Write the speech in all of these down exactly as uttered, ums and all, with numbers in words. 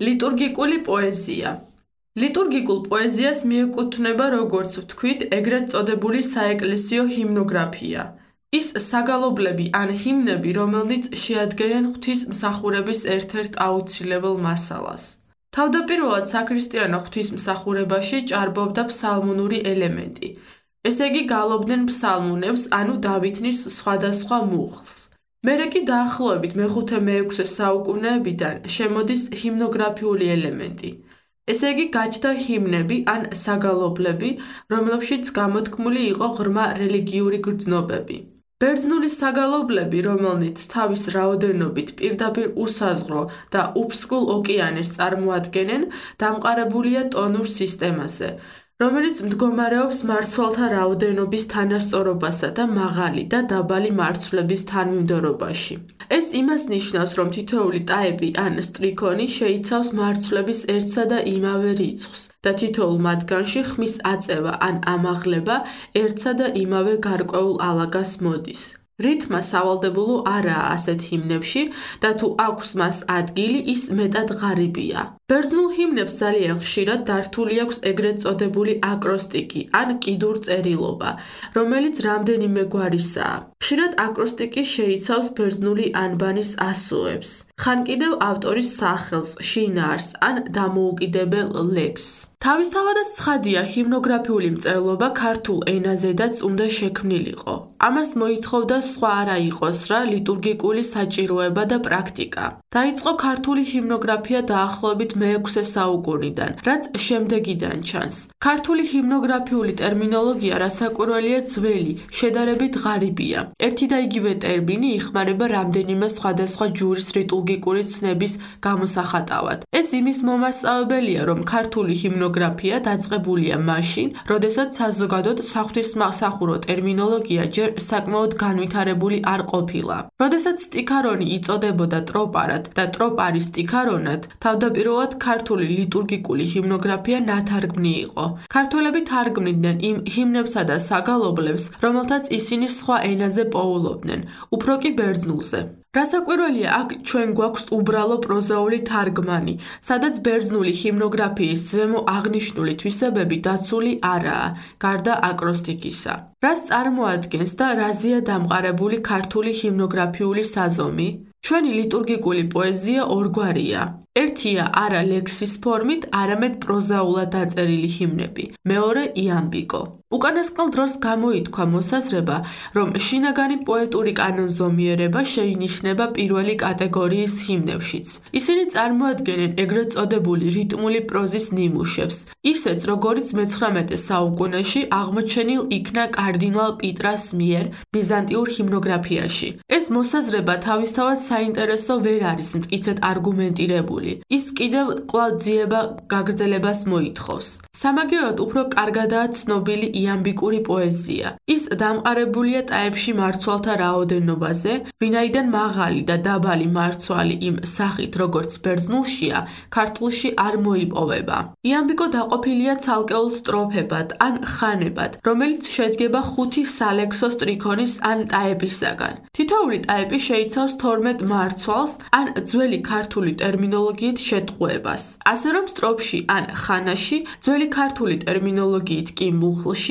ლიტურგიკული პოეზია. ლიტურგიკულ პოეზიას მიეკუთვნება, როგორც ვთქვით, ეგრეთ წოდებული საეკლესიო ჰიმნოგრაფია. ის საგალობლები ან ჰიმნები, რომელნიც შეადგენენ ღვთისმსახურების ერთ-ერთ აუცილებელ მასალას. თავდაპირველად საქრისტიანო ღვთისმსახურებაში ჭარბობდა ფსალმუნური ელემენტი. ესე იგი გალობდნენ ფსალმუნებს, ანუ დავითნის სხვადასხვა მუხლს. მერე კი დაახლოებით მეხუთე-მეექვსე საუკუნეებიდან შემოდის ჰიმნოგრაფიული ელემენტი. ესე იგი გაჩნდა ჰიმნები ან საგალობლები, რომლებშიც გამოთქმული იყო ღრმა რელიგიური გრძნობები. ბერძნული საგალობლები, რომელნიც თავის რაოდენობით პირდაპირ უსაზღვრო და უფსკრულ ოკეანეს წარმოადგენენ, დამყარებულია ტონურ სისტემაზე, რომელიც მდგომარეობს მარცვალთა რაოდენობის თანასწორობასა და მაღალი და დაბალი მარცვლების თანმიმდევრობაში. ეს იმას ნიშნავს, რომ თითოეული ტაეპი ან სტრიქონი შეიცავს მარცვლების ერთსა და იმავე რიცხვს და თითოეულ მათგანში ხმის აწევა ან ამაღლება ერთსა და იმავე გარკვეულ ალაგას მოდის. რითმა სავალდებულო არაა ასეთ ჰიმნებში და თუ აქვს მას ადგილი, ის მეტად ღარიბია. ბერძნულ ჰიმნებს ძალიან ხშირად დართული აქვს ეგრეთ წოდებული აკროსტიკი ან კიდურწერილობა, რომელიც რამდენიმე გვარისაა. ხშირად აკროსტიკი შეიცავს ბერძნული ანბანის ასოებს, ხან კიდევ ავტორის სახელს, შინაარსს ან დამოუკიდებელ ლექსს. თავისთავადაც ცხადია, ჰიმნოგრაფიული მწერლობა ქართულ ენაზედაც უნდა შექმნილიყო. ამას მოითხოვდა სხვა არა იყოს რა ლიტურგიკული საჭიროება და პრაქტიკა. დაიწყო ქართული ჰიმნოგრაფია დაახლოებით მეექვსე საუკუნიდან, რაც შემდეგიდან ჩანს. ქართული ჰიმნოგრაფიული ტერმინოლოგია რასაკვირველია ძველი, შედარებით ღარიბია. ერთი და იგივე ტერმინი იხმარება რამდენიმე სხვადასხვა ჯურის ლიტურგიკური ცნების გამოსახატავად. ეს იმის მომასწავებელია, რომ ქართული ჰიმნოგრაფია დაწყებულია მაშინ, როდესაც საზოგადოდ საღვთისმსახურო ტერმინოლოგია ჯერ საკმაოდ განვითარებული არ ყოფილა. როდესაც სტიქარონი იწოდებოდა ტროპარად და ტროპარი სტიქარონად, თავდაპირველად ქართული ლიტურგიკული ჰიმნოგრაფია ნათარგმნი იყო. ქართველები თარგმნიდნენ იმ ჰიმნებსა და საგალობლებს, რომელთაც ისინი სხვა ენაზე პოულობდნენ, უფრო კი ბერძნულზე. რასაკვირველია, აქ ჩვენ გვაქვს უბრალო პროზაული თარგმანი, სადაც ბერძნული ჰიმნოგრაფიის ზემო აღნიშნული თვისებები დაცული არაა, გარდა აკროსტიკისა. რას წარმოადგენს და რაზეა დამყარებული ქართული ჰიმნოგრაფიული საზომი? ჩვენი ლიტურგიკული პოეზია ორგვარია. ერთია არა ლექსის ფორმით, არამედ პროზაულად დაწერილი ჰიმნები. მეორე იამბიკო. უკანასკნელ დროს გამოითქვა მოსაზრება, რომ შინაგანი პოეტური კანონზომიერება შეინიშნება პირველი კატეგორიის ჰიმნებშიც. ისინი წარმოადგენენ ეგრეთ წოდებული რიტმული პროზის ნიმუშებს, ისეც როგორიც მეცხრამეტე საუკუნეში აღმოჩენილ იქნა კარდინალ პიტრას მიერ ბიზანტიურ ჰიმნოგრაფიაში. ეს მოსაზრება თავისთავად საინტერესო ვერ არის მტკიცედ არგუმენტირებული. ის კიდევ კვლავ ძიება გაგრძელებას მოითხოვს. სამაგიეროდ უფრო კარგადაა ცნობილი იამბიკური პოეზია. ის დამყარებულია ტაეპში მარცვალთა რაოდენობაზე, ვინაიდან მაღალი და დაბალი მარცვალი იმ სახით, როგორც ბერძნულშია, ქართულში არ მოიპოვება. იამბიკო დაყოფილია ცალკეულ სტროფებად ან ხანებად, რომელიც შედგება ხუთი სალექსო სტრიქონის ან ტაეპისაგან. თითოეული ტაეპი შეიცავს თორმეტ მარცვალს ან ძველი ქართული ტერმინოლოგიით შეტყუებას. ასე რომ სტროფში ან ხანაში, ძველი ქართული ტერმინოლოგიით კი მუხლში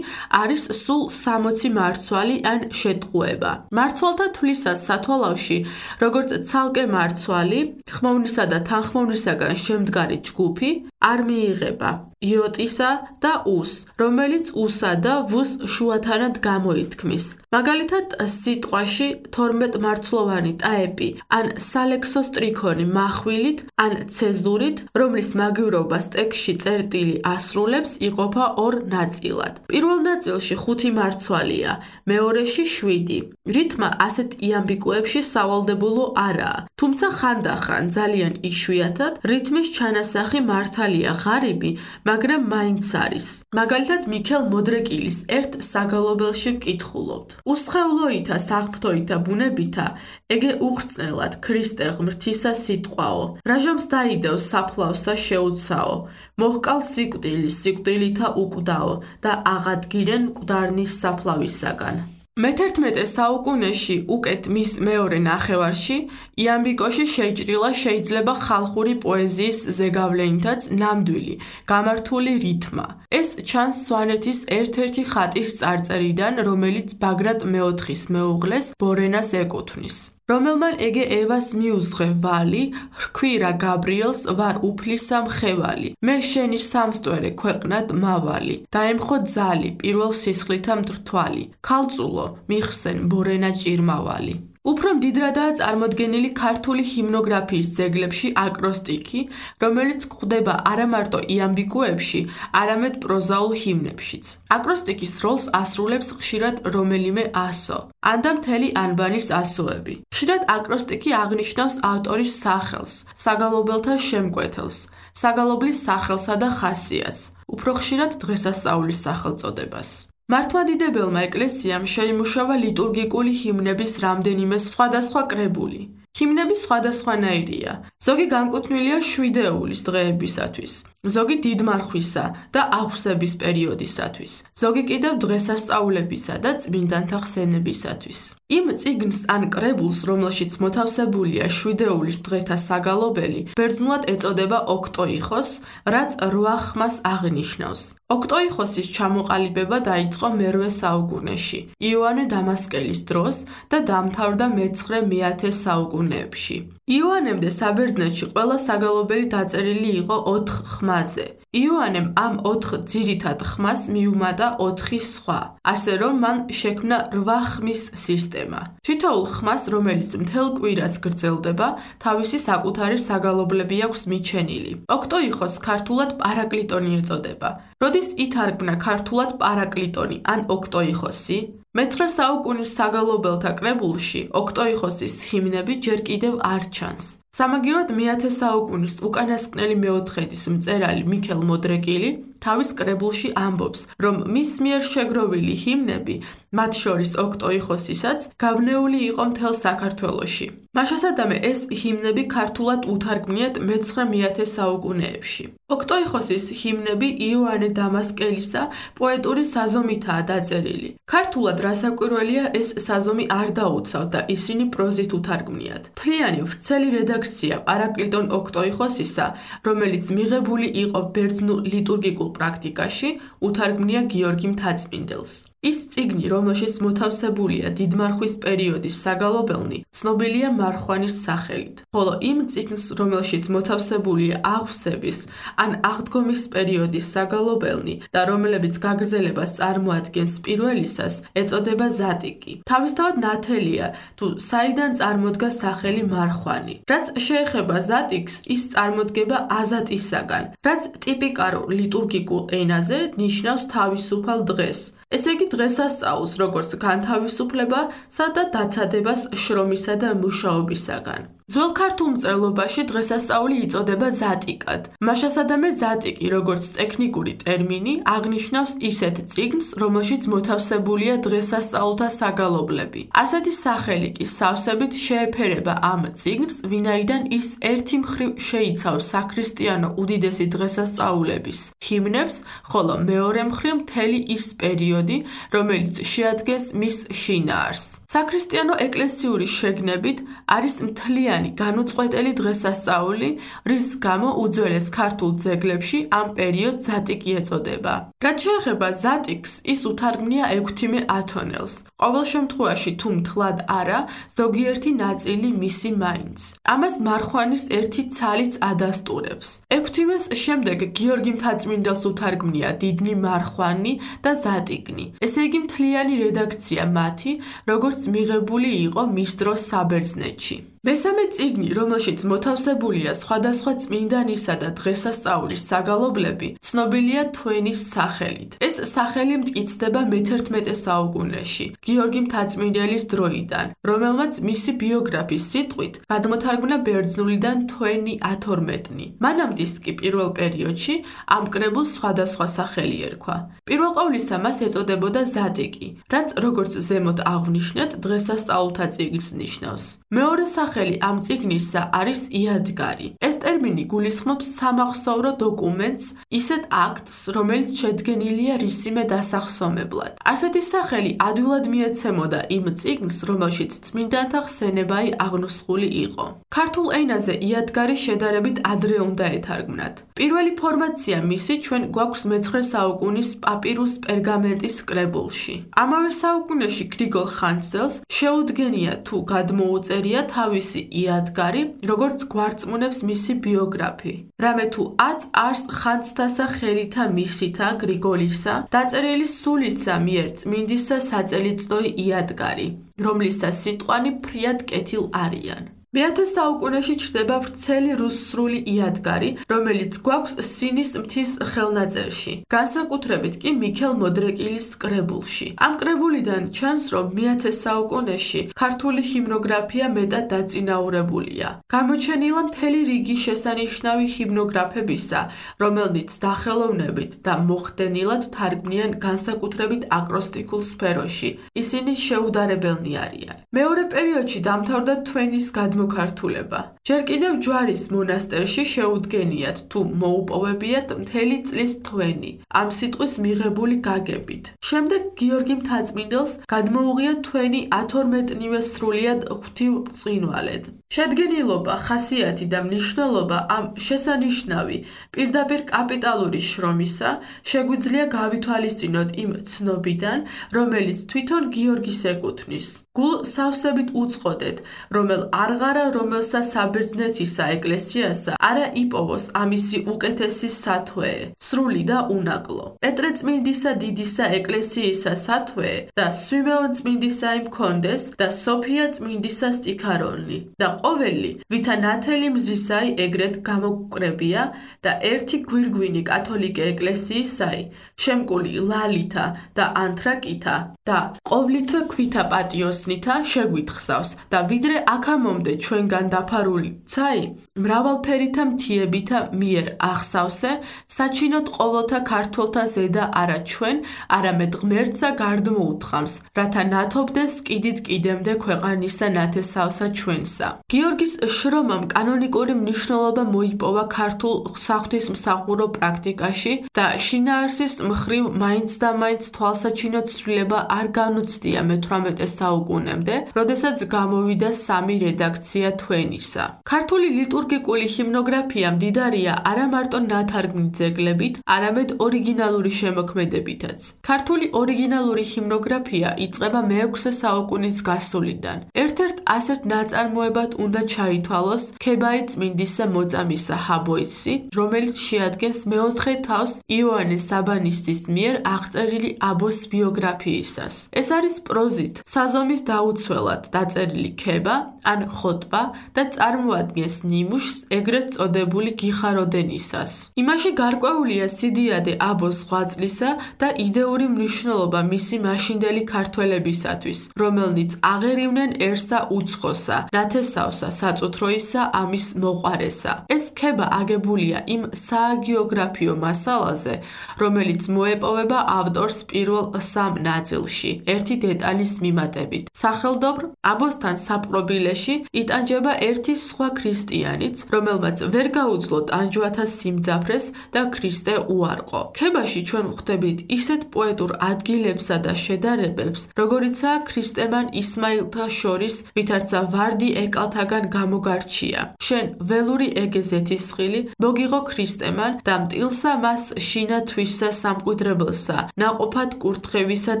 არის სულ სამოცი მარცვალი ან შეტყუება. მარცვალთა თვლისას სათვალავში, როგორც ცალკე მარცვალი, ხმოვნისა და თანხმოვნისაგან შემდგარი ჯგუფი არ მიიღება იოტისა და უს, რომელიც უსა და ვს შუათანად გამოითქმის. მაგალითად, სიტყვაში თორმეტ მარცვლოვანი ტაეპი ან სალექსო სტრიქონი מחვილით ან ცეზურით, რომლის მაგივრობას ტექსტში წერტილი ასრულებს, იყოფა ორ ნაწილად. პირველ ნაწილში ხუთი მარცვალია, მეორეში შვიდი. რითმა ასეთ იამბიკოებში სავალდებულო არაა, თუმცა ხანდახან ძალიან იშვიათად რითმის ჩანასახი მართალია ღარიბი, მაგრამ მაინც არის. მაგალითად, მიქელ მოდრეკილის ერთ საგალობელში ვკითხულობთ. უსხეულოითა საღმრთოითა ბუნებითა, ეგე უხრწნელად ქრისტე ღმრთისა სიტყვაო, რაჟამს დაიდევს საფლავსა შეუცაო, მოჰკალ სიკვდილი სიკვდილითა უკვდაო და აღადგინენ მკვდარნის საფლავისაგან. მეთერთმეტე საუკუნეში უკეთ მის მეორე ნახევარში იამბიკოში შეჭრილა შეიძლება ხალხური პოეზიის ზეგავლენითაც ნამდვილი, გამართული რითმა. ეს ჩანს სვანეთის ერთ-ერთი ხატის წარწერიდან, რომელიც ბაგრატ მეოთხის მეუღლეს ბორენას ეკუთვნის. რომელმან ეგე ევას მიუძღვე ვალი, რქვი რა გაბრიელს ვარ უფლისა მხევალი, მე შენი სამსტვერე ქვეყნად მავალი, დაემხო ძალი პირველ სისხლითა მდრთვალი, ქალწულო მიხსენ ბორენა ჭირმავალი. უფრო მდიდრადაა წარმოდგენილი ქართული ჰიმნოგრაფიის ძეგლებში აკროსტიკი, რომელიც გვხვდება არა მარტო იამბიკოებში, არამედ პროზაულ ჰიმნებშიც. აკროსტიკის როლს ასრულებს ხშირად რომელიმე ასო, ან და მთელი ანბანის ასოები. ხშირად აკროსტიკი აღნიშნავს ავტორის სახელს, საგალობელთა შემკვეთელს, საგალობლის სახელსა და ხასიათს, უფრო ხშირად დღესასწაულის სახელწოდებას. მართლმადიდებელმა ეკლესიამ შეიმუშავა ლიტურგიკული ჰიმნების რამდენიმე სხვადასხვა კრებული. ჰიმნები სხვადასხვანაირია. ზოგი განკუთვნილია შვიდეულის დღეებისათვის, ზოგი დიდმარხვისა და აღვსების პერიოდისათვის, ზოგი კიდევ დღესასწაულებისა და წმინდანთა ხსენებისათვის. იმ წიგნს ან კრებულს, რომელშიც მოთავსებულია შვიდეულის დღეთა საგალობელი, ბერძნულად ეწოდება ოქტოიხოს, რაც რვა ხმას აღნიშნავს. ოქტოიხოსის ჩამოყალიბება დაიწყო მერვე საუკუნეში, იოანე დამასკელის დროს და დამთავრდა მეცხრე მეათე საუკუნეებში. იოანემდე საბერძნეთში ყველა საგალობელი დაწერილი იყო ოთხ ხმაზე. იოანემ ამ ოთხ ძირითად ხმას მიუმატა ოთხი სხვა, ასე რომ მან შექმნა რვა ხმის სისტემა. თითოეულ ხმას, რომელიც მთელ კვირას გრძელდება, თავისი საკუთარი საგალობლები აქვს მიჩენილი. ოქტოიხოს ქართულად პარაკლიტონი ეწოდება. როდის ითარგმნა ქართულად პარაკლიტონი ან ოქტოიხოსი? მეცხრე საუკუნის საგალობელთა კრებულში ოქტოიხოსის ჰიმნები ჯერ კიდევ არ ჩანს. სამაგიეროდ მეათე საუკუნის უკანასკნელი მეოთხედის მწერალი მიქელ მოდრეკილი თავის კრებულში ამბობს, რომ მის მიერ შეგროვილი ჰიმნები, მათ შორის ოქტოიხოსისაც, გავნეული იყო მთელ საქართველოში. მაშასადამე ეს ჰიმნები ქართულად უთარგმნიათ მეცხრე მეათე საუკუნეებში. ოქტოიხოსის ჰიმნები იოანე დამასკელისა პოეტური საზომითაა დაწერილი. ქართულად რასაკვირველია, ეს საზომი არ დაუცავთ და ისინი პროზით უთარგმნიათ. მთლიანი ვრცელი რედაქცია პარაკლიტონ ოქტოიხოსისა, რომელიც მიღებული იყო ბერძნულ ლიტურგიკულ პრაქტიკაში, უთარგმნია გიორგი მთაწმინდელს. ის წიგნი, რომელშიც მოთავსებულია დიდმარხვის პერიოდის საგალობელნი, ცნობილია მარხვანის სახელით, ხოლო იმ წიგნს, რომელშიც მოთავსებულია აღვსების ან აღდგომის პერიოდის საგალობელნი და რომლებიც გაგრძელებას წარმოადგენს პირველისას, ეწოდება ზატიკი. თავისთავად ნათელია, თუ საიდან წარმოდგა სახელი მარხვანი. რაც შეეხება ზატიკს, ის წარმოდგება აზატისაგან, რაც ტიპიკარულ ლიტურგიკულ ენაზე ნიშნავს თავისუფალ დღეს. ესე იგი დღესასწაულს, როგორც განთავისუფლებასა და დაცადებას შრომისა და მუშაობისაგან. ძველ ქართულ მწერლობაში დღესასწაული იწოდება ზატიკად. მაშასადამე ზატიკი, როგორც ტექნიკური ტერმინი, აღნიშნავს ისეთ წიგნს, რომელშიც მოთავსებულია დღესასწაულთა საგალობლები. ასეთი სახელი კი სავსებით შეეფერება ამ წიგნს, ვინაიდან ის ერთი მხრივ შეიცავს საქრისტიანო უდიდესი დღესასწაულების ჰიმნებს, ხოლო მეორე მხრივ მთელი ის პერიოდი, რომელიც შეადგენს მის შინაარსს. საქრისტიანო ეკლესიური შეგნებით არის მთლიანი განუწყვეტელი დღესასწაული, რის გამო უძველეს ქართულ ძეგლებში ამ პერიოდს ზატიკი ეწოდება. რაც შეეხება ზატიკს, ის უთარგმნია ექვთიმე ათონელს. ყოველ შემთხვევაში, თუ მთლად არა, ზოგიერთი ნაწილი მისი მაინც. ამას მარხვანის ერთი ცალიც ადასტურებს. ექვთიმეს შემდეგ გიორგი მთაწმინდელს უთარგმნია დიდნი მარხვანი და ზატიკნი. ესე იგი მთლიანი რედაქცია მათი, როგორც მიღებული იყო მის დროს საბერძნეთში. მესამე წიგნი, რომელშიც მოთავსებულია სხვადასხვა წმინდანისა და დღესასწაულის საგალობლები, ცნობილია თვენის სახელით. ეს სახელი მტკიცდება მეთერთმეტე საუკუნეში, გიორგი მთაწმინდელის დროიდან, რომელმაც მისი ბიოგრაფის სიტყვით გადმოთარგმნა ბერძნულიდან თვენი ათორმეტნი. მანამდე კი პირველ პერიოდში ამ კრებულს სხვადასხვა სახელი ერქვა. პირველ ყოვლისა მას ეწოდებოდა ზატიკი, რაც როგორც ზემოთ აღვნიშნეთ, დღესასწაულთა წიგნს ნიშნავს. მეორე სახელი სახელი ამ წიგნისა არის იადგარი. ეს ტერმინი გულისხმობს სამახსოვრო დოკუმენტს, ისეთ აქტს, რომელიც შედგენილია რისიმე დასახსომებლად. ასეთი სახელი ადვილად მიეცემოდა იმ წიგნს, რომელშიც წმინდანთა ხსენებայի აღნუსხული იყო. ქართულ ენაზე იადგარი შედარებით ადრე უნდა ეთარგმნათ. პირველი ფორმაცია მისი ჩვენ გვაქვს მეცხრე საუკუნის პაპირუს პერგამენტის კრებულში. ამავე საუკუნეში გრიგოლ ხანძელს შეუდგენია თუ გადმოუწერია თავისი იადგარი, როგორც გვარწმუნებს მისი ბიოგრაფი. რამე თუ აც არს ხანძთასა ხელითა მისითა გრიგოლისა, დაწერილი სულისა მიერ წმინდისა საწელიწნოი იადგარი, რომლისა სიტყვანი ფრიად კეთილ არიან. მეათე საუკუნეში ჩნდება ვრცელი რუსული იადგარი, რომელიც გვაქვს სინის მთის ხელნაწერში, განსაკუთრებით კი მიქელ მოდრეკილის კრებულში. ამ კრებულიდან ჩანს, რომ მეათე საუკუნეში ქართული ჰიმნოგრაფია მეტად დაწინაურებულია. გამოჩენილა მთელი რიგი შესანიშნავი ჰიმნოგრაფებისა, რომელნიც სახელოვნებით და მოხდენილად თარგმნიან განსაკუთრებით აკროსტიკულ სფეროში. ისინი შეუდარებელნი არიან. მეორე პერიოდში დამთავრდა თვენის გადმოქართულება. ჯერ კიდევ ჯვარის მონასტერში შეუდგენიათ თუ მოუპოვებიათ მთელი წლის თვენი, ამ სიტყვის მიღებული გაგებით. შემდეგ გიორგი მთაწმინდელს გადმოუღია თვენი ათორმეტნივე სრულიად ღვთივ ბრწყინვალედ. შედგენილობა, ხასიათი და მნიშვნელობა ამ შესანიშნავი პირდაპირ კაპიტალური შრომისა შეგვიძლია გავითვალისწინოთ იმ ცნობიდან, რომელიც თვითონ გიორგის ეკუთვნის. გულ სავსებით უწყოდეთ, რომელ არღარა რომელსა საბერძნეთისა ეკლესიასა არა იპოვოს ამისი უკეთესი სათვეე, სრული და უნაკლო. პეტრე წმინდისა დიდისა ეკლესიისა სათვეე და სვიმეონ წმინდისა იმქონდეს და სოფია წმინდისა სტიქარონლი და ყოველი, ვითა ნათელი მზისაი ეგრეთ გამოგკრებია და ერთი გვირგვინი კათოლიკე ეკლესიისაი, შემკული ლალითა და ანთრაკითა და ყოვლითვე ქვითა პატიოსნითა შეგვითხსავს და ვიდრე აქამომდე ჩვენგან დაფარული ცაი, მრავალფერითა მთიებითა მიერ ახსავსე, საჩინოდ ყოველთა ქართველთა ზედა არა ჩვენ, არამედ ღმერთსა გარდმოუთხამს, რათა ნათობდეს კიდით კიდემდე ქვეყანისა ნათესავსა ჩვენსა. გიორგის შრომამ კანონიკური მნიშვნელობა მოიპოვა ქართულ საღვთისმსახურო პრაქტიკაში და შინაარსის მხრივ მაინც და მაინც თვალსაჩინო ცვლილება არ განუცდია მეთვრამეტე საუკუნემდე, როდესაც გამოვიდა სამი რედაქცია თვენისა. ქართული ლიტურგიკული ჰიმნოგრაფია მდიდარია არა მარტო ნათარგმნი ძეგლებით, არამედ ორიგინალური შემოქმედებითაც. ქართული ორიგინალური ჰიმნოგრაფია იწყება მეექვსე საუკუნის გასულიდან. ერთ-ერთ ასეთ ნაწარმოებად უნდა ჩაითვალოს ქებაი წმინდისა მოწამისა ჰაბოიცი, რომელიც შეადგენს მეოთხე თავს იოანე საბანისტის მიერ აღწერილი აბოს ბიოგრაფიისას. ეს არის პროზით, საზომის დაუცველად დაწერილი ქება ან ხოტბა და წარმოადგენს ნიმუშს ეგრეთ წოდებული გიხაროდენისას. იმაში გარკვეულია სიდიადე აბოს ღვაწლისა და იდეური მნიშვნელობა მისი მაშინდელი ქართველებისათვის, რომელნიც აღერივნენერსა უცხოსა, ნათესავსა, საწუთროისა, ამის მოყვარესა. ეს ქება აგებულია იმ სააგიოგრაფიო მასალაზე, რომელიც მოეპოვება ავტორს პირველ სამ ნაწილში, ერთი დეტალის მიმატებით. სახელდობრ, აბოსთან საპყრობილეში იტანჯება ერთი სხვა ქრისტიანიც, რომელმაც ვერ გაუძლო ტანჯვათა სიმძაფრეს და ქრისტე უარყო. ქებაში ჩვენ ვხვდებით ისეთ პოეტურ ადგილებსა და შედარებებს, როგორიცაა ქრისტემან ისმაილთა შორის, ვითარცა ვარდი ეკალთაგან გამოგარჩია. შენ ველური ეგეზეთის ხილი, მოგიღო ქრისტემან და მტილსა მას შინა თვისსა სამკვიდრებელსა, ნაყოფად კურთხევისად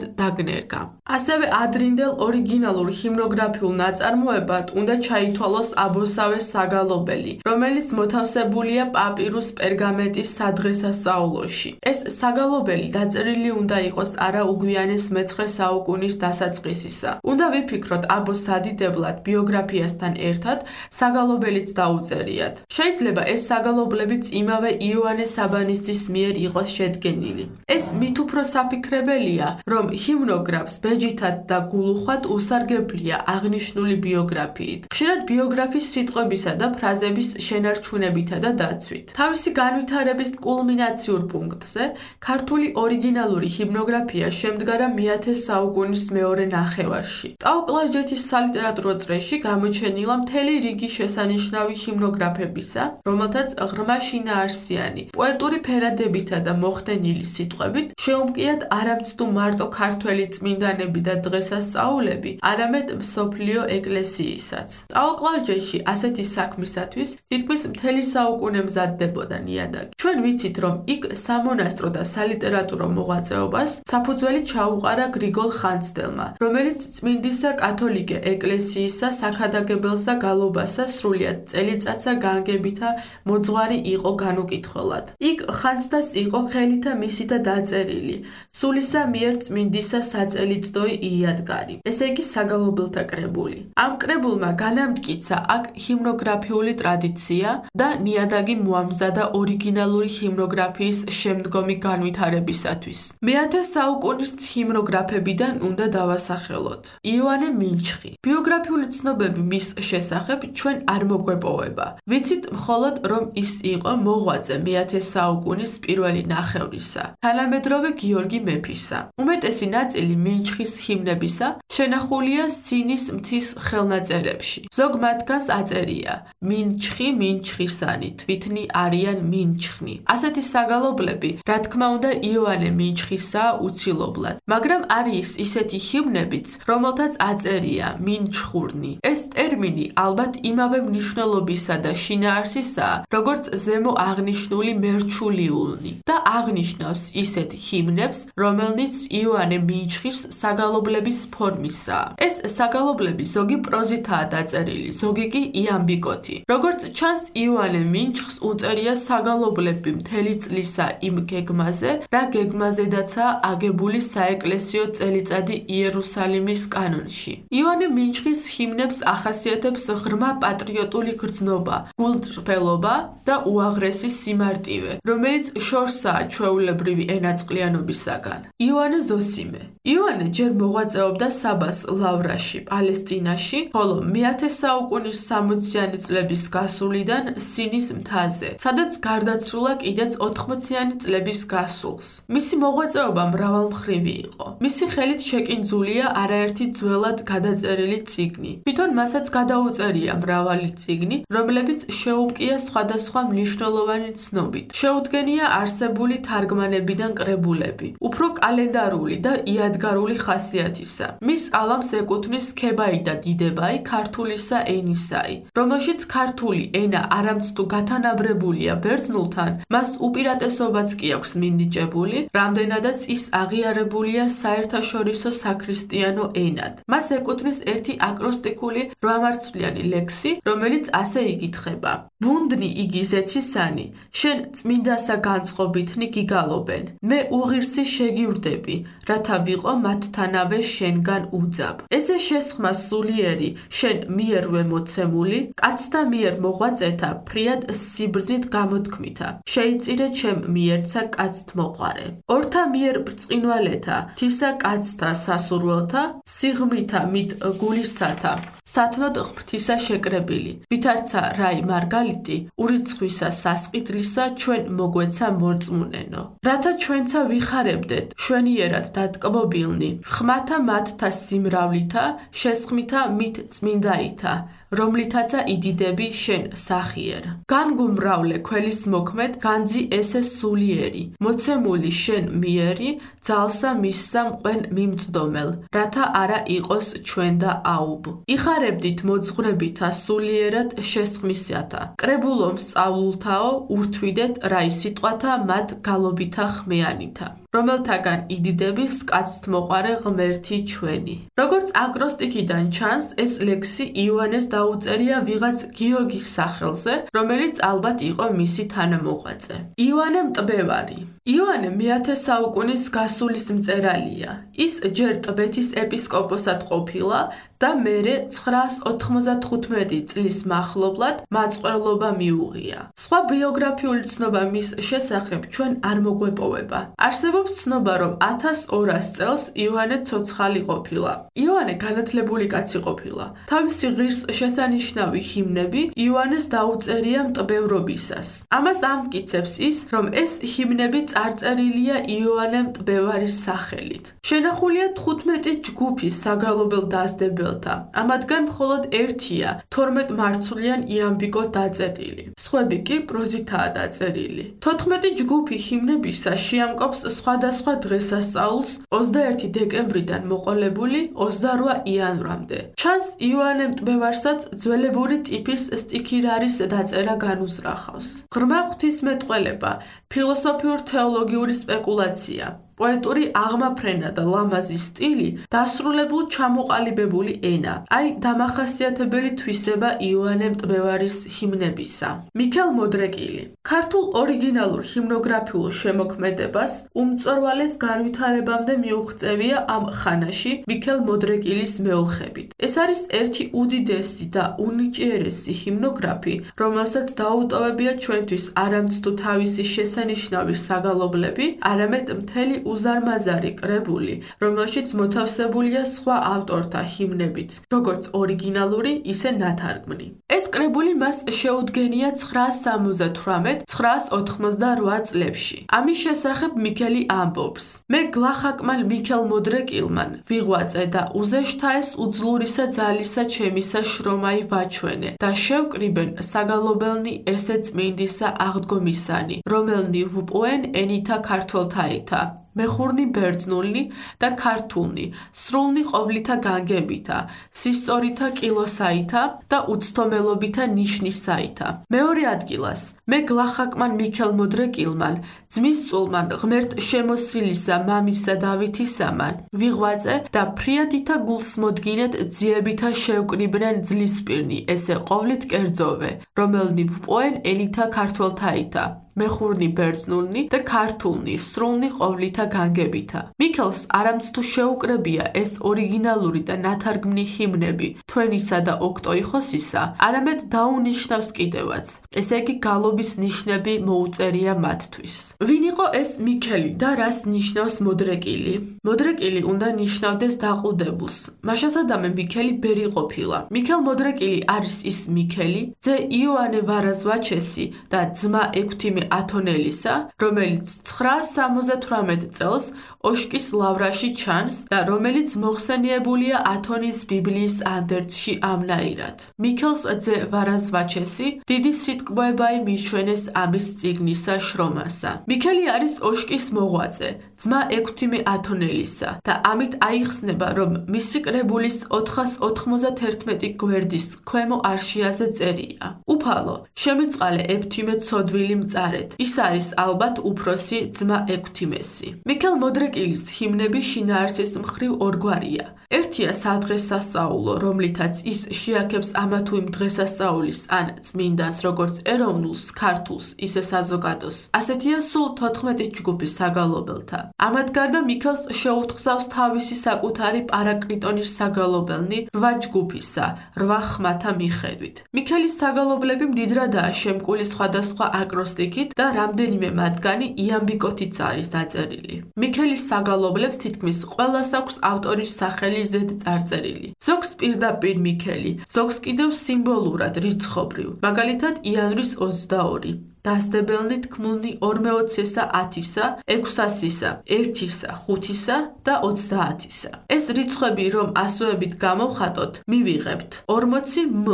დაგნერგა. ასევე ადრინდელ ორიგინალურ ჰიმნოგრაფიულ ნაწარმოებად უნდა ჩაითვალოს აბოსავე საგალობელი, რომელიც მოთავსებულია პაპირუს პერგამენტის სადღესასწაულოში. ეს საგალობელი დაწერილი უნდა იყოს არა უგვიანეს მეცხრე საუკუნის დასაწყისისა. უნდა ვიფიქროთ აბოს სადიდებლად ბიოგრაფიასთან ერთად საგალობელიც დაუწერიათ. შეიძლება ეს საგალობლებიც იმავე იოანე საბანისტის მიერ იყოს შედგენილი. ეს მით უფრო საფიქრებელია, რომ ჰიმნოგრაფს ბეჯითად და გულუხვად უსარგებლია აღნიშნული ბიოგრაფიით. ხშირად ბიოგრაფიის სიტყვებისა და ფრაზების შენარჩუნებითა და დაცვით. თავისი განვითარების კულმინაციურ პუნქტზე ქართული ორიგინალური ჰიმნოგრაფია შემდგარა მეათე საუკუნის მეორე ნახევარში. ტაო-კლარჯეთის სალიტერატურო წრეში გამოჩენილა მთელი რიგი შესანიშნავი ჰიმნოგრაფებისა, რომელთაც ღრმა შინაარსიანი, პოეტური ფერადებითა და მოხდენილი სიტყვებით შეუმკიათ არამც თუ მარტო ქართველი წმინდანები და დღესასწაულები, არამედ მსოფლიო ეკლესიისაც. ტაო-კლარჯეთში ასეთი საქმისათვის თითქმის მთელი საუკუნე მზადდებოდა ნიადაგი. ჩვენ ვიცით, რომ იქ სამონასტრო და სალიტერატურო მოღვაწეობას საფუძველი ჩაუყარა გრიგოლ ხანძთელმა, რომელიც წმინდისა კათოლიკე ეკლესიისა საქადაგებელსა გალობასა სრულიად წელიწადსა განგებითა მოძღვარი იყო განუკითხველად. იქ ხანძთას იყო ხელითა მისითა დაწერილი სულისა მიერ წმინდისა საწელიწდოი იადგარი, ესე იგი საგალობელთა კრებული. ამ კრებულმა განამტკიცა აქ ჰიმნოგრაფიული ტრადიცია და ნიადაგი მოამზადა ორიგინალური ჰიმნოგრაფიის შემდგომი განვითარებისათვის. მეათე საუკუნის ჰიმნოგრაფებიდან უნდა დავასახელოთ. იოანე მინჩხი. ბიოგრაფიული ცნობები მის შესახებ ჩვენ არ მოგვეპოვება. ვიცით მხოლოდ, რომ ის იყო მოღვაწე მეათე საუკუნის პირველი ნახევრისა, თანამედროვე გიორგი მეფისა. უმეტესი ნაწილი მინჩხის ჰიმნებისა შენახულია სინის მთის ხელნაწერებში. ზოგ მათგანს აწერია: მინჩხი, მინჩხისანი, თვითნი არიან მინჩხნი. ასეთი საგალობლები, რა თქმა უნდა, იოანე მინჩხისაა უცილობლად, მაგრამ არის ისეთი ჰიმნებიც, რომელთაც აწერია მინჩხურნი. ეს ტერმინი ალბათ იმავე მნიშვნელობისა და შინაარსისაა, როგორც ზემო აღნიშნული მერჩულიულნი და აღნიშნავს ისეთ ჰიმნებს, რომელნიც იოანე მინჩხის საგალობლების ფორმისაა. ეს საგალობლები ზოგი პროზითაა დაწერილი, ზოგი კი იამბიკოთი. როგორც ჩანს, იოანე მინჩხს უწერია საგალობლები მთელი წლისა იმ გეგმაზე, რა გეგმაზედაცაა აგებული საეკლესიო წელიწადი იერუსალიმის კანონში. იოანე მინჩხის ჰიმნებს ახასიათებს ღრმა პატრიოტული გრძნობა, გულწრფელობა და უაღრესი სიმარტივე, რომელიც შორსაა ჩვეულებრივი ენაწყლიანობისაგან. იოანე ზოსიმე. იოანე ჯერ მოღვაწეობდა საბას ლავრაში, პალესტინაში, ხოლო მეათე საუკუნის სამოციანი წლების გასვლიდან სინის მთაზე, სადაც გარდაცვლილა კიდეც ოთხმოციანი წლების გასულს. მისი მოღვაწეობა მრავალმხრივი იყო. მისი ხელით შეკინძულია არაერთი ძველად გადაწერილი წიგნი. თვითონ მასაც გადაუწერია მრავალი წიგნი, რომლებიც შეუპკია სხვადასხვა მნიშვნელოვანი ცნობით. შეუდგენია არსებული თარგმანებიდან კრებულები, უფრო კალენდარული და იადგარული ხასიათისა. მის კალამს ეკუთვნის ქებაი და დიდებაი ქართულისა ენისაი, რომელშიც ქართული ენა არამც თუ გათანაბრებულია ბერძნულთან, მას უპირატესობაც კი აქვს მინიჭებული, რამდენადაც ის აღიარებულია საერთაშორისო საქრისტიანო ენად. მას ეკუთვნის ერთი აკროსტიკული რვამარცვლიანი ლექსი, რომელიც ასე იკითხება: ბუნდნი იგი ზეცისანი, შენ წმინდასა განწყობითნი გიგალობენ, მე უღირსი შეგივრდები, რათა ვიყო მათთანავე შენგან უძაბ. ესე შესხმა სულიერი, შენ მიერვე მოცემული, კაცთა მიერ მოღვაწეთა ფრიად სიბრძნით გამოთქმითა, შეიწირე ჩემ მიერცა კაცთ მოყარე. ორთა მიერ ბრწყინვალეთა, თისა კაცთა სასურველთა, სიღმითა მით გულისათა, სათნოდ ღმრთისა შეკრებილი, ვითარცა რაი მარგალიტი, ურიცხვისა სასყიდლისა ჩვენ მოგვეცა მორწმუნენო. რათა ჩვენცა ვიხარებდეთ, შვენიერად დატკბობილნი, ხმათა მათთა სიმრავლითა, შესხმითა მით წმინდაითა, რომლითაცა იდიდები შენ სახიერ. განგუმრავლე ქველის მოქმედ, განძი ესე სულიერი, მოცემული შენ მიერი, ძალსა მისსა მყვენ მიმწდომელ, რათა არა იყოს ჩვენ და აუბ. იხარებდით მოძღვრებითა სულიერად შესხმისათა, კრებულომ სწავლულთაო, ურთვიდეთ რაი სიტყვათა მათ გალობითა ხმიანითა. რომელთაგან იდიდების კაცთ მოყარე ღმერთი ჩვენი. როგორც აკროსტიკიდან ჩანს, ეს ლექსი იოანეს დაუწერია ვიღაც გიორგის სახელზე, რომელიც ალბათ იყო მისი თანამოღვაწე. იოანე მტბევარი. იოანე მეათე საუკუნის გასულის მწერალია. ის ჯერ ტბეთის ეპისკოპოსად ყოფილა და მერე ცხრაას ოთხმოცდათხუთმეტი წლის მახლობლად მაწყვლობა მიუღია. სხვა ბიოგრაფიული ცნობა მის შესახებ ჩვენ არ მოგვეპოვება. არსებობს ცნობა, რომ ათას ორას წელს იოანე ცოცხალი ყოფილა. იოანე განათლებული კაცი ყოფილა. თავისი ღირს შესანიშნავი ჰიმნები იოანეს დაუწერია მტბევრობისას. ამას ამტკიცებს ის, რომ ეს ჰიმნები წარწერილია იოანე მტბევარის სახელით. შენახულია თხუთმეტი ჯგუფის საგალობელ დასდებელთა. ამათგან მხოლოდ ერთია თორმეტმარცვლიან იამბიკო დაწერილი. სხვები კი პროზითაა დაწერილი. თოთხმეტი ჯგუფი ჰიმნებისა შეამკობს სხვადასხვა დღესასწაულს ოცდაერთი დეკემბრიდან მოყოლებული ოცდარვა იანვრამდე. ჩანს იოანე მტბევარსაც ძველებური ტიპის სტიქირარის დაწერა განუზრახავს. ღრმა ღვთისმეტყველება, ფილოსოფიურ-თეოლოგიური სპეკულაცია, პოეტური აღმაფრენა და ლამაზი სტილი, დასრულებულ ჩამოყალიბებული ენა, აი დამახასიათებელი თვისება იოანე მტბევარის ჰიმნებისა. მიქელ მოდრეკილი. ქართულ ორიგინალურ ჰიმნოგრაფიულ შემოქმედებას უმწვერვალეს განვითარებამდე მიუღწევია ამ ხანაში მიქელ მოდრეკილის მეოხებით. ეს არის ერთი უდიდესი და უნიჭიერესი ჰიმნოგრაფი, რომელსაც დაუტოვებია ჩვენთვის არამც თუ თავისი შესანიშნავი საგალობლები, არამედ მთელი უზარმაზარი კრებული, რომელშიც მოთავსებულია სხვა ავტორთა ჰიმნებიც, როგორც ორიგინალური, ისე ნათარგმნი. ეს კრებული მას შეუდგენია ცხრაას სამოცდათვრამეტ ცხრაას ოთხმოცდარვა წლებში. ამის შესახებ მიქელი ამბობს: მე გლახაკმან მიქელ მოდრეკილმან ვიღვაწე და უზეშთაეს უძლურისა ძალისა ჩემისა შრომაი ვაჩვენე და შევკრიბენ საგალობელნი ესე წმინდისა აღდგომისანი, რომელნი ვუპოენ ენითა ქართველთაითა. მეხურნი ბერძნულნი და ქართულნი, სრულნი ყოვლითა განგებითა, სისწორითა კილოსაითა და უცდომელობითა ნიშნისაითა. მეორე ადგილას, მე გლახაკმან მიქელ მოდრეკილმან, ძმის წულმან ღმერთ შემოსილისა მამისა დავითისამან, ვიღვაწე და ფრიათითა გულს მოდგინეთ ძიებითა შევკრიბნენ ძლისპირნი, ესე ყოვლით კერძოვე, რომელნი ვპოენ ენითა ქართველთაითა. მეხურნი ბერძნულნი და ქართულნი, სრულნი ყოვლითა განგებითა. მიქელს არამც თუ შეუკრებია ეს ორიგინალური და ნათარგმნი ჰიმნები თვენისა და ოქტოიხოსისა, არამედ დაუნიშნავს კიდევაც. ესე იგი გალობის ნიშნები მოუწერია მათთვის. ვინ იყო ეს მიქელი და რას ნიშნავს მოდრეკილი? მოდრეკილი უნდა ნიშნავდეს დაყუდებულს. მაშასადამე მიქელი ბერი ყოფილა. მიქელ მოდრეკილი არის ის მიქელი, ძე იოანე ვარაზვაჩესი და ძმა ექვთიმე ათონელისა, რომელიც ცხრაას სამოცდათვრამეტ წელს ოშკის ლავრაში ჩანს და რომელიც მოხსენიებულია ათონის ბიბლიის ანდერძში ამნაირად. მიქელს ძე ვარაზვაჩესი დიდი სიტყვებაი მიჩვენეს ამის წიგნისა შრომასა. მიქელი არის ოშკის მოღვაწე, ძმა ექვთიმე ათონელისა და ამით აიხსნება, რომ მისი კრებულის ოთხას ოთხმოცდათერთმეტი გვერდის ქვემო არშიაზე წერია: უფალო, შემიწყალე ექვთიმე ცოდვილი მწარეთ. ის არის ალბათ უფროსი ძმა ექვთიმესი. მიქელ მოდრეკილის ჰიმნები შინაარსის მხრივ ორგვარია. ერთია სადღესასწაულო, რომლითაც ის შეაქებს ამა თუ იმ დღესასწაულის ან წმინდანს, როგორც ეროვნულს, ქართულს, ისე საზოგადოს. ასეთია სულ თოთხმეტი ჯგუფის საგალობელთა. ამათ გარდა მიქელს შეუთხზავს თავისი საკუთარი პარაკლიტონის საგალობელნი რვა ჯგუფისა, რვა ხმათა მიხედვით. მიქელის საგალობლები მდიდრადაა შემკული სხვადასხვა აკროსტიკით და რამდენიმე მათგანი იამბიკოთიც არის დაწერილი. მიქელის საგალობლებს თითქმის ყველას აქვს ავტორის სახელი ზედ წარწერილი. ზოგს პირდაპირ მიქელი, ზოგს კიდევ სიმბოლურად რიცხობრივ, მაგალითად იანვრის ოცდაორი. დასდებელნი თქმულნი ორმეოცესა ათისა, ექვსასისა, ერთისა, ხუთისა და ოცდაათისა. ეს რიცხვები რომ ასოებით გამოვხატოთ, მივიღებთ ორმოცი მ,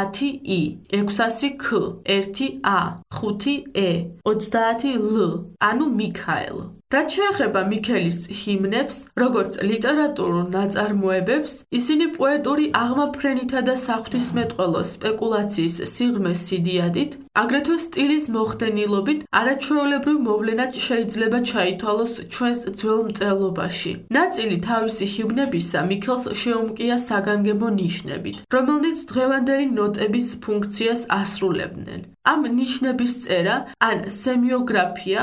ათი ი, ექვსასი ქ, ერთი ა, ხუთი ე, ოცდაათი ლ, ანუ მიქაელ. რაც შეეხება მიქელის ჰიმნებს, როგორც ლიტერატურულ ნაწარმოებებს, ისინი პოეტური აღმაფრენითა და საღვთისმეტყველო სპეკულაციის სიღრმეს სიდიადით, აგრეთვე სტილის მოხდენილობით არაჩვეულებრივ მოვლენად შეიძლება ჩაითვალოს ჩვენს ძველ მწერლობაში. ნაწილი თავისი ჰიმნებისა მიქელს შეუმკია საგანგებო ნიშნებით, რომელნიც დღევანდელი ნოტების ფუნქციას ასრულებდნენ. ამ ნიშნების წერა ან სემიოგრაფია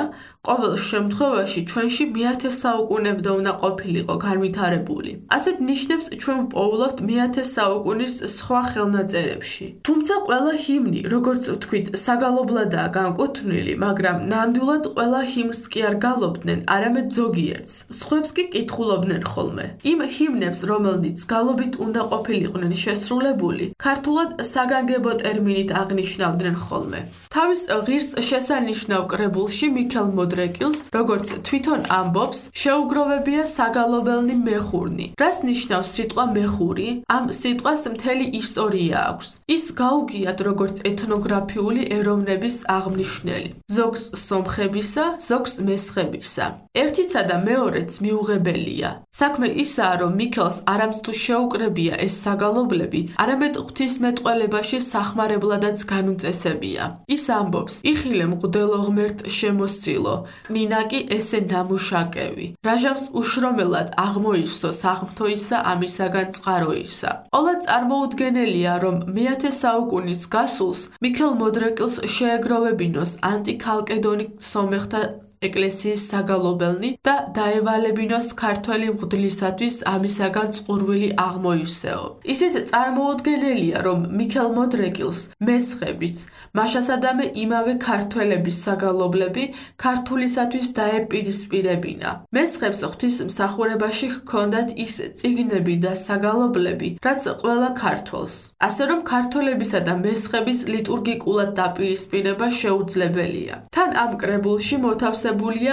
ყოველ შემთხვევაში ჩვენში მეათე საუკუნემდე უნდა ყოფილიყო განვითარებული. ასეთ ნიშნებს ჩვენ ვპოულობთ მეათე საუკუნის სხვა ხელნაწერებში. თუმცა ყველა ჰიმნი, როგორც ვთქვით, საგალობლადაა განკუთვნილი, მაგრამ ნამდვილად ყველა ჰიმნს კი არ გალობდნენ, არამედ ზოგიერთს. სხვებს კი კითხულობდნენ ხოლმე. იმ ჰიმნებს, რომელნიც გალობით უნდა ყოფილიყვნენ შესრულებული, ქართულად საგანგებო ტერმინით აღნიშნავდნენ ხოლმე. თავის ღირს შესანიშნავ კრებულში მიქელ მოდრეკილს, როგორც თვითონ ამბობს, შეუგროვებია საგალობელნი მეხურნი. რას ნიშნავს სიტყვა მეხური? ამ სიტყვას მთელი ისტორია აქვს. ის გაუგიათ როგორც ეთნოგრაფიული ეროვნების აღმნიშვნელი. ზოგს სომხებისა, ზოგს მესხებისა. ერთიცა და მეორეც მიუღებელია. საქმე ისაა, რომ მიქელს არამც თუ შეუკრებია ეს საგალობლები, არამედ ღვთისმეტყველებაში სახმარებლადაც განუწესებია. ის ამბობს: იხილე მღვდელო ღმერთ შემოსილო, კნინა კი ესე ნამუშაკევი. რაჟამს უშრომელად აღმოისო საღმთოისა ამისაგან წყაროისა. ყოლა წარმოუდგენელია, რომ მეათე საუკუნის გასულს მიქელ მოდრეკილს შეეგროვებინოს ანტიქალკედონი სომეხთა ეკლესიის საგალობელნი და დაევალებინოს ქართველი მღვდლისათვის ამისაგან წყურვილი აღმოივსეო. ისიც წარმოუდგენელია, რომ მიქელ მოდრეკილს მესხებიც, მაშასადამე იმავე ქართველების საგალობლები ქართულისათვის დაეპირისპირებინა. მესხებს ღვთისმსახურებაში ჰქონდათ ის წიგნები და საგალობლები, რაც ყველა ქართველს. ასე რომ ქართველებისა და მესხების ლიტურგიკულად დაპირისპირება შეუძლებელია. თან ამ კრებულში მოთავსებულია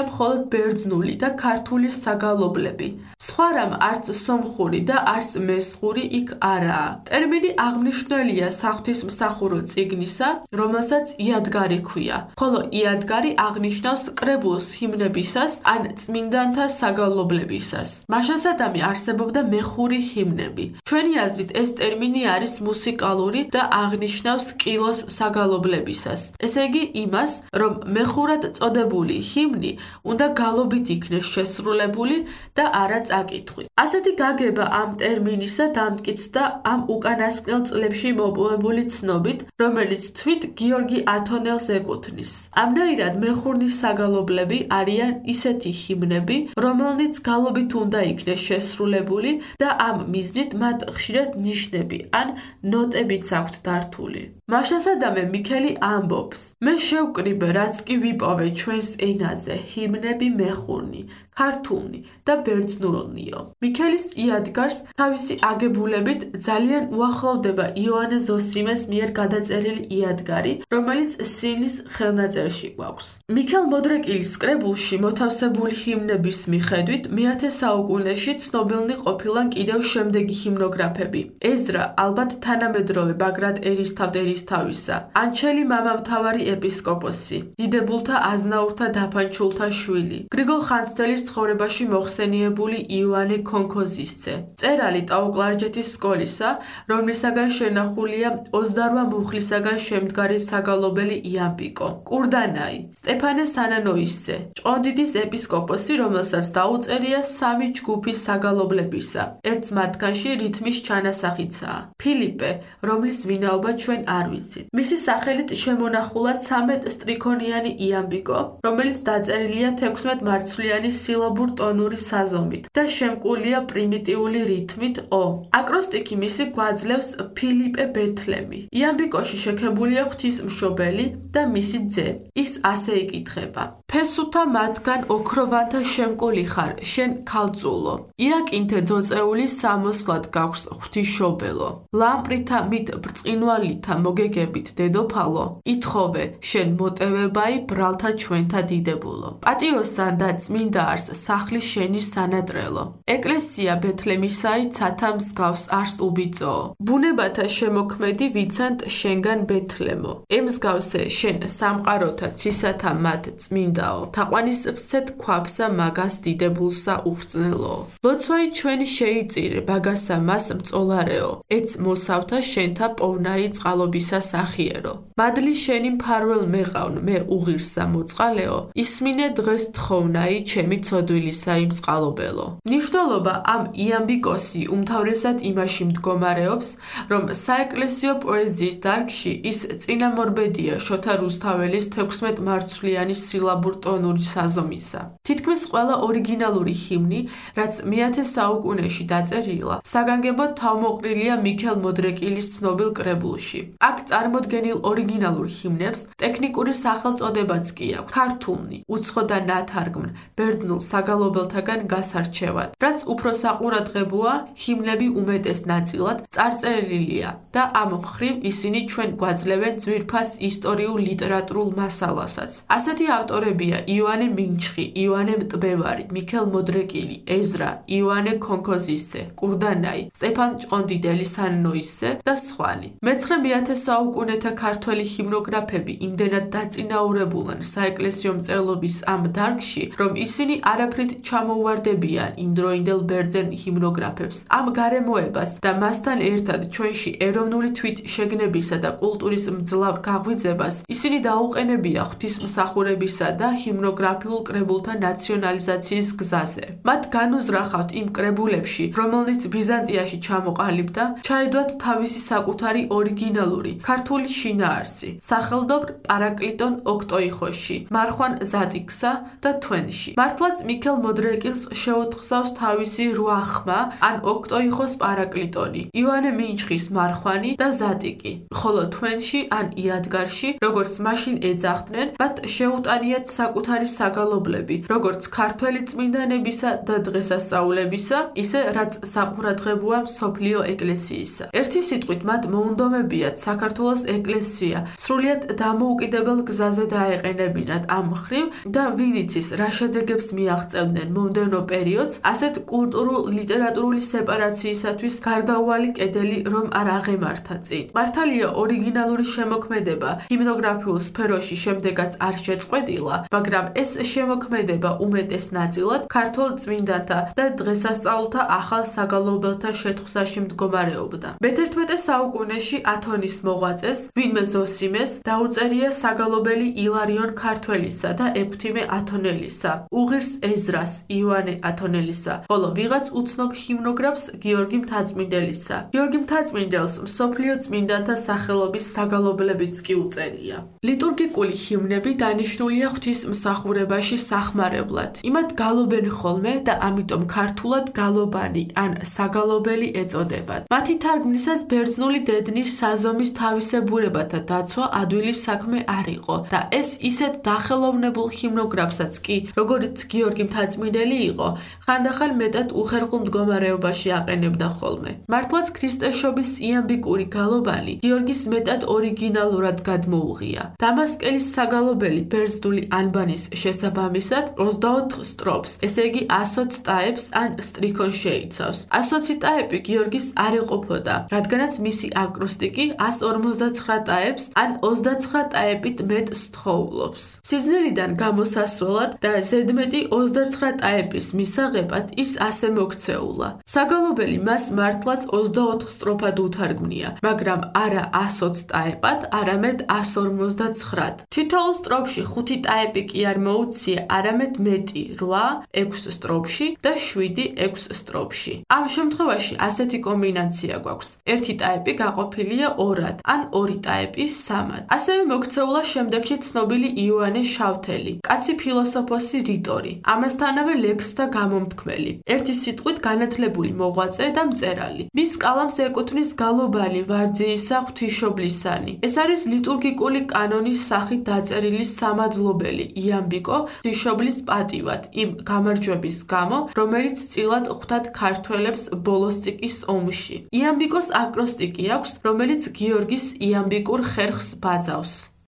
მხოლოდ ბერძნული და ქართული საგალობლები. სხვა რამ არც სომხური და არც მესხური იქ არაა. ტერმინი აღნიშნულია საღვთისმსახურო წიგნისა, რომელსაც იადგარი ჰქვია, ხოლო იადგარი აღნიშნავს კრებულს ჰიმნებისას ან წმინდანთა საგალობლებისას. მაშასადამე არსებობდა მეხური ჰიმნები. ჩვენი აზრით ეს ტერმინი არის მუსიკალური და აღნიშნავს კილოს საგალობლებისას. ესე იგი იმას, რომ მეხურად წოდებული ჰიმნი უნდა გალობით იქნეს შესრულებული და არა წაკითხვით. ასეთი გაგება ამ ტერმინისა დამტკიცდა ამ უკანასკნელ წლებში მოპოვებული ცნობით, რომელიც თვით გიორგი ათონელს ეკუთვნის. ამნაირად მეხურნის საგალობლები არიან ისეთი ჰიმნები, რომელნიც გალობით უნდა იქნეს შესრულებული და ამ მიზნით მათ ხშირად ნიშნები ან ნოტებიც აქვთ დართული. მაშასადამე მიქელი ამბობს: მე შევკრიბე, რაც კი ვიპოვე ჩვენს ენაზე, ჰიმნები მეხურნი, ქართულნი და ბერძნულნიო. მიქელის იადგარს თავისი აგებულებით ძალიან უახლოვდება იოანე ზოსიმეს მიერ გადაწერილი იადგარი, რომელიც სინის ხელნაწერში გვაქვს. მიქელ მოდრეკილის კრებულში მოთავსებული ჰიმნების მიხედვით მეათე საუკუნეში ცნობილნი ყოფილან კიდევ შემდეგი ჰიმნოგრაფები: ეზრა, ალბათ თანამედროვე ბაგრატ ერისთავთ-ერისთავისა, ანჩელი მამამთავარი ეპისკოპოსი, დიდებულთა აზნაურთა დაფანჩულთა შვილი, გრიგოლ ხანძთელის ცხოვრებაში მოხსენიებული იოანე ქონქოზისძე, მწერალი ტაო-კლარჯეთის სკოლისა, რომლისაგან შენახულია ოცდარვა მუხლისაგან შემდგარი საგალობელი იამპიკო, კურდანაი, სტეფანე სანანოისძე, ჭყონდიდის ეპისკოპოსი, რომელსაც დაუწერია სამი ჯგუფი საგალობლებისა. ერთს მათგანში რითმის ჩანასახიცაა. ფილიპე, რომლის ვინაობა ჩვენ არ ვიცით. მისი სახელით შემონახულად ცამეტ სტრიქონიანი იამპიკო, რომელიც დაწერილია თექვსმეტ მარცვლიანი სილაბურ-ტონური საზომით და შემკულია პრიმიტიული რითმით ო. აკროსტიკი მისი გვაძლევს ფილიპე ბეთლემი. იამბიკოში შექებულია ღვთისმშობელი და მისი ძე. ის ასე იკითხება: ფესუთა მათგან ოქროვანთა შემკული ხარ, შენ ქალწულო. იაკინთე ძოწეული სამოსლად გაქვს ღვთისმშობელო. ლამპრითა მით ბრწყინვალითა მოგეგებით დედოფალო, ითხოვე შენ მოტევებაი ბრალთა ჩვენთა დიდებულო. პატიოსთან და წმინდა არს სახლის შენი სანატრელო. ეკლესია ბეთლემისაი ცათა მსგავს არს უბიწოო. ბუნებათა შემოქმედი ვიცანთ შენგან ბეთლემო. ემსგავსე შენ სამყაროთა ცისათა მათ წმინდა მზაო, თაყვანის ვსეთ ქვაბსა მაგას დიდებულსა უხრწნელო. ლოცვაი ჩვენი შეიწირე, ბაგასა მას მწოლარეო, ეც მოსავთა შენთა პოვნაი წყალობისა სახიერო. მადლი შენი მფარველ მეყავნ, მე უღირსა მოწყალეო, ისმინე დღეს თხოვნაი, ჩემი ცოდვილისა იმ წყალობელო. ნიშნულობა ამ იამბიკოსი უმთავრესად იმაში მდგომარეობს, რომ საეკლესიო პოეზიის დარგში ის წინამორბედია შოთა რუსთაველის თექვსმეტ მარცვლიანი სილაბურ-ტონური საზომისა. თითქმის ყველა ორიგინალური ჰიმნი, რაც მეათე საუკუნეში დაწერილა, საგანგებოდ თავმოყრილია მიქელ მოდრეკილის ცნობილ კრებულში. აქ წარმოდგენილ ორიგინალურ ჰიმნებს ტექნიკური სახელწოდებაც კი აქვს: ქართულნი, უცხო და ნათარგმნ, ბერძნულ საგალობელთაგან გასარჩევად. რაც უფრო საყურადღებოა, ჰიმნები უმეტეს ნაწილად წარწერილია და ამ მხრივ ისინი ჩვენ გვაძლევენ ძვირფას ისტორიულ ლიტერატურულ მასალასაც. ასეთი ავტორებია იოანე მინჩხი, იოანე მტბევარი, მიქელ მოდრეკილი, ეზრა, იოანე ქონქოზისძე, კურდანაი, სტეფან ჭყონდიდელი სანნოისძე და სხვანი. მეცხრე მეათე საუკუნეთა ქართველი ჰიმნოგრაფები იმდენად დაწინაურებულან საეკლესიო მწერლობის ამ დარგში, რომ ისინი არაფრით ჩამოუვარდებიან იმდროინდელ ბერძენ ჰიმნოგრაფებს. ამ გარემოებას და მასთან ერთად ჩვენში ეროვნული თვითშეგნებისა და კულტურის მძლავრ გაღვიძებას ისინი დაუყენებია ღვთისმსახურებისა და ჰიმნოგრაფიულ კრებულთა ნაციონალიზაციის გზაზე. მათ განუზრახავთ იმ კრებულებში, რომელნიც ბიზანტიაში ჩამოყალიბდა, ჩაედვათ თავისი საკუთარი ორიგინალური ქართული შინაარსი, სახელდობრ პარაკლიტონ ოქტოიხოსში, მარხვან ზატიკსა და თვენში. მართლაც მიქელ მოდრეკილს შეუთხზავს თავისი რვა ხმა, ან ოქტოიხოს პარაკლიტონი, იოანე მინჩხის მარხვანი და ზატიკი, ხოლო თვენში ან იადგარში, როგორც მაშინ ეძახდნენ, მათ შეუტანიათ საკუთარი საგალობლები, როგორც ქართველი წმინდანებისა და დღესასწაულებისა, ისე რაც საყურადღებოა მსოფლიო ეკლესიისა. ერთი სიტყვით მათ მოუნდომებიათ საქართველოს ეკლესია სრულიად დამოუკიდებელ გზაზე დაეყენებინათ ამ მხრივ და ვინიცის რა შედეგებს მიაღწევდნენ მომდევნო პერიოდს, ასეთ კულტურულ ლიტერატურული სეპარაციისათვის გარდაუვალი კედელი რომ არ აღემართა წინ. მართალია ორიგინალური შემოქმედება ჰიმნოგრაფიულ სფეროში შემდეგაც არ შეწყვეტილა, მაგრამ ეს შემოქმედება უმეტეს ნაწილად ქართულ წმინდანთა და დღესასწაულთა ახალ საგალობელთა შეთხზაში მდგომარეობდა. მეთერთმეტე საუკუნეში ათონის მოღვაწეს, ვინმე ზოსიმეს დაუწერია საგალობელი ილარიონ ქართველისა და ექვთიმე ათონელისა, უღირს ეზრას იოანე ათონელისა, ხოლო ვიღაც უცნობ ჰიმნოგრაფს გიორგი მთაწმინდელისა. გიორგი მთაწმინდელს მსოფლიო წმინდანთა სახელობის საგალობლებიც კი უწერია. ლიტურგიკული ჰიმნები დანიშნულია ღვთისმსახურებაში სახმარებლად. იმათ გალობენ ხოლმე და ამიტომ ქართულად გალობანი ან საგალობელი ეწოდებათ. მათი თარგმნისას ბერძნული დედნის საზომის თავისებურებათა დაცვა ადვილი საქმე არ იყო და ეს ისეთ დახელოვნებულ ჰიმნოგრაფსაც კი, როგორც გიორგი მთაწმინდელი იყო, ხანდახან მეტად უხერხულ მდგომარეობაში აყენებდა ხოლმე. მართლაც ქრისტეშობის იამბიკური გალობანი გიორგის მეტად ორიგინალურად გადმოუღია. დამასკელის საგალობელი ბერძნული ანბანის შესაბამისად ოცდაოთხ სტროფს, ესე იგი ასოც ტაეპს ან სტრიქონს შეიცავს. ასოცი ტაეპი გიორგის არ ეყოფოდა, რადგანაც მისი აკროსტიკი ას ორმოცდაცხრა ტაეპს ან ოცდაცხრა ტაეპით მეტ სთხოვლობს. სიძნელიდან გამოსასროლად და ზედმეტი ოცდაცხრა ტაეპის მისაღებად ის ასე მოქცეულა. საგალობელი მას მართლაც ოცდაოთხ სტროფად უთარგმნია, მაგრამ არა ასოც ტაეპად, არამედ ას ორმოცდაცხრად. თითოეულ სტროფში ხუთი ტაეპი კი არ მოუცია, არამედ მეტი რვა ექვს სტროფში და შვიდი ექვს სტროფში. ამ შემთხვევაში ასეთი კომბინაცია გვაქვს. ერთი ტაეპი გაყოფილია ორად, ან ორი ტაეპი სამად. ასევე მოქცეულა შემდეგში ცნობილი იოანე შავთელი, კაცი ფილოსოფოსი რიტორი, ამასთანავე ლექსთა გამომთქმელი, ერთი სიტყვით განათლებული მოღვაწე და მწერალი. მის კალამს ეკუთვნის გალობანი ვარძიისა ღვთისმშობლისანი. ეს არის ლიტურგიკული კანონის სახით დაწერილი სამადლობელი იამბიკო ღვთისმშობლის პატივად იმ გამარჯვების გამო, რომელიც წილად ხვდათ ქართველებს ბოლოსტიკის ომში. იამბიკოს აკროსტიკი აქვს, რომელიც გიორგის იამბიკურ ხერხს ბაძავს.